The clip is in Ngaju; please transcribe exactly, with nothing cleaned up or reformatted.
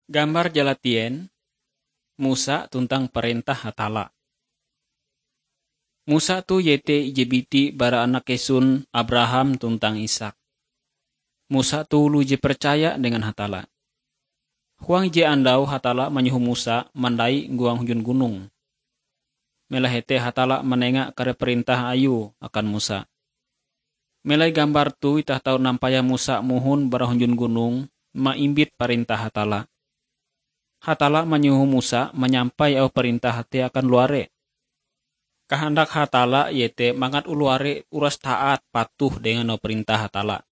Gambar jalatien, Musa tuntang parentah Hatalla. Musa toh iete ije biti bara anak kesun Abraham tuntang Ishak. Musa toh oloh je percaya dengan Hatalla. Huang ije andau Hatalla manyoho Musa mandai huang hunjun gunong. Melahe te Hatalla manenga kare parentah Ayue akan Musa. Melai gambar toh itah tau nampayah Musa mohon bara hunjun gunong maimbit parentah Hatalla. Hatalla manyoho Musa manyampai auh parentah te akan luare. Kahandak Hatalla iete mangat oloh are uras taat patuh dengan auh parentah Hatalla.